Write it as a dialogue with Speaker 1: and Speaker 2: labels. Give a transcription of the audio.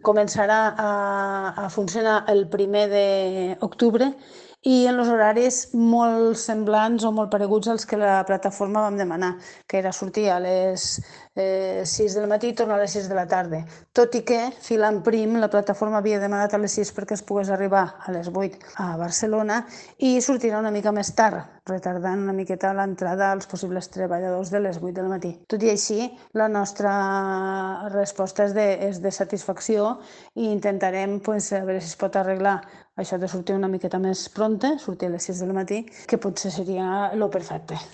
Speaker 1: començarà a funcionar el 1 d'octubre i en els horaris molt semblants o molt pareguts als que la plataforma vam demanar, que era sortir a les 6 del matí i tornar a les 6 de la tarda. Tot i que, filant prim, la plataforma havia demanat a les 6 perquè es pogués arribar a les 8 a Barcelona i sortirà una mica més tard, retardant una miqueta l'entrada als possibles treballadors de les 8 del matí. Tot i així, la nostra resposta és de satisfacció i intentarem a veure si es pot arreglar això de sortir una miqueta més pronta, sortir a les 6 del matí, que potser seria el perfecte.